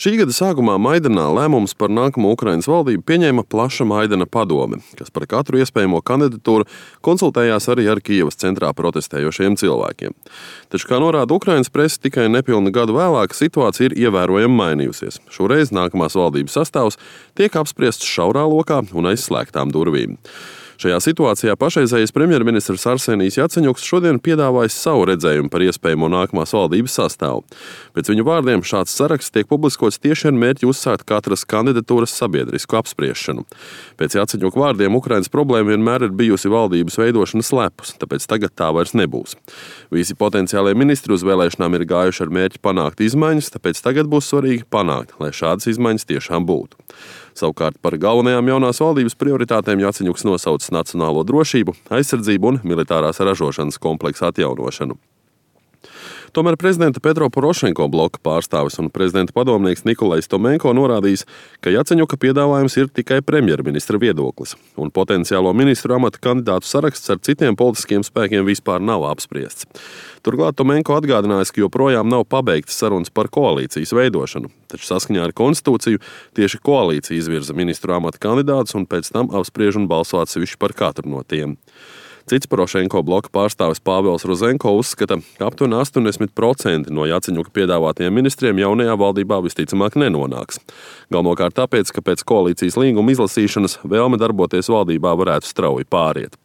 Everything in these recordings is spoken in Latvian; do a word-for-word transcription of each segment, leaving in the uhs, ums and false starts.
Šī gada sākumā Maidanā lēmums par nākamo Ukrainas valdību pieņēma plaša Maidana padome, kas par katru iespējamo kandidatūru konsultējās arī ar Kijevas centrā protestējošiem cilvēkiem. Taču, kā norāda Ukrainas prese, tikai nepilnu gadu vēlāk situācija ir ievērojami mainījusies. Šoreiz nākamās valdības sastāvs tiek apspriests šaurā lokā un aiz slēgtām durvīm. Šajā situācijā pašreizējais premjerministrs Arsenijs Jaceņuks šodien piedāvājis savu redzējumu par iespējamo nākamās valdības sastāvu. Pēc viņu vārdiem šāds saraksts tiek publiskots tieši ar mērķi uzsākt katras kandidatūras sabiedrisku apspriešanu. Pēc Jaceņuka vārdiem Ukrainas problēma vienmēr ir bijusi valdības veidošanas lepus, tāpēc tagad tā vairs nebūs. Visi potenciālie ministri uz vēlēšanām ir gājuši ar mērķi panākt izmaiņas, tāpēc tagad būs svarīgi panākt, lai šādas izmaiņas tiešām būtu. Savukārt par galvenajām jaunās valdības prioritātēm Jaceņuks nosauc nacionālo drošību, aizsardzību un militārās ražošanas kompleksa atjaunošanu. Tomēr prezidenta Petro Porošenko bloka pārstāvis un prezidenta padomnieks Nikolajs Tomenko norādījis, ka Jaceņuka piedāvājums ir tikai premjerministra viedoklis, un potenciālo ministru amata kandidātu saraksts ar citiem politiskiem spēkiem vispār nav apspriests. Turklāt Tomenko atgādinājis, ka joprojām nav pabeigtas sarunas par koalīcijas veidošanu, taču saskaņā ar konstitūciju tieši koalīcija izvirza ministru amata kandidātus un pēc tam apspriež un balso atsevišķi par katru no tiem. Cits Porošenko bloka pārstāvis Pāvels Rozenko uzskata, ka aptuveni astoņdesmit procenti no Jaceņuka piedāvātajiem ministriem jaunajā valdībā visticamāk nenonāks. Galvenokārt tāpēc, ka pēc koalīcijas līguma izlasīšanas vēlme darboties valdībā varētu strauji pāriet.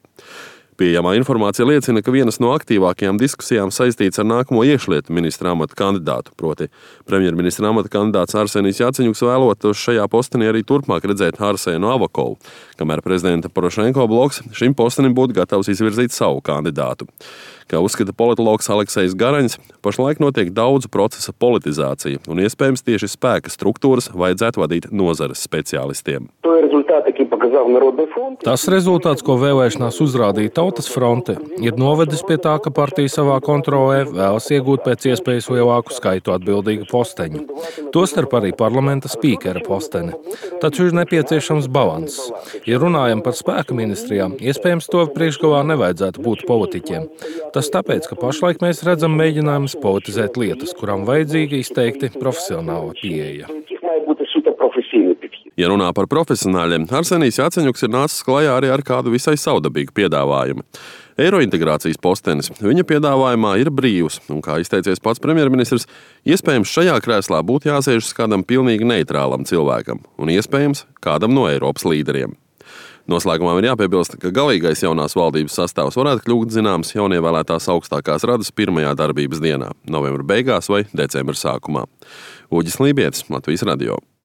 Pieejamā informācija liecina, ka vienas no aktīvākajām diskusijām saistīts ar nākamo iekšlietu ministra amata kandidātu, proti premjerministra amata kandidāts Arsenijs Jaceņuks vēlotos šajā postenī arī turpmāk redzēt Arsēnu Avakovu, kamēr prezidenta Porošenko bloks šim postenim būtu gatavs izvirzīt savu kandidātu. Kā uzskata politologs Aleksejs Garaņs, pašlaik notiek daudzu procesa politizācija, un iespējams tieši spēka struktūras vajadzētu vadīt nozares speciālistiem. Tas rezultāts, ko vēlēšanās uzrādīja Tautas fronte, ir novedis pie tā, ka partija savā kontrolē vēlas iegūt pēc iespējas lielāku skaitu atbildīgu posteņu. Tostarp arī parlamenta spīkera posteni. Taču ir nepieciešams balanss. Ja runājam par spēka ministrijām, iespējams to priekšgalā nevajadzētu būt politiķiem. Tas tāpēc, ka pašlaik mēs redzam mēģinājumus politizēt lietas, kurām vajadzīga izteikti profesionāla pieeja. Ja runā par profesionāļiem, Arsenijs Jaceņuks ir nācis klajā arī ar kādu visai savdabīgu piedāvājumu. Eirointegrācijas postenis viņa piedāvājumā ir brīvs, un, kā izteicies pats premjerministrs, iespējams šajā krēslā būtu jāsēžas kādam pilnīgi neitrālam cilvēkam, un iespējams kādam no Eiropas līderiem. Noslēgumā ir jāpiebilst, ka galīgais jaunās valdības sastāvs varētu kļūt zināms jaunievēlētās augstākās radas pirmajā darbības dienā, novembra beigās vai decembra sākumā. Uģis Lībietis, Latvijas radio.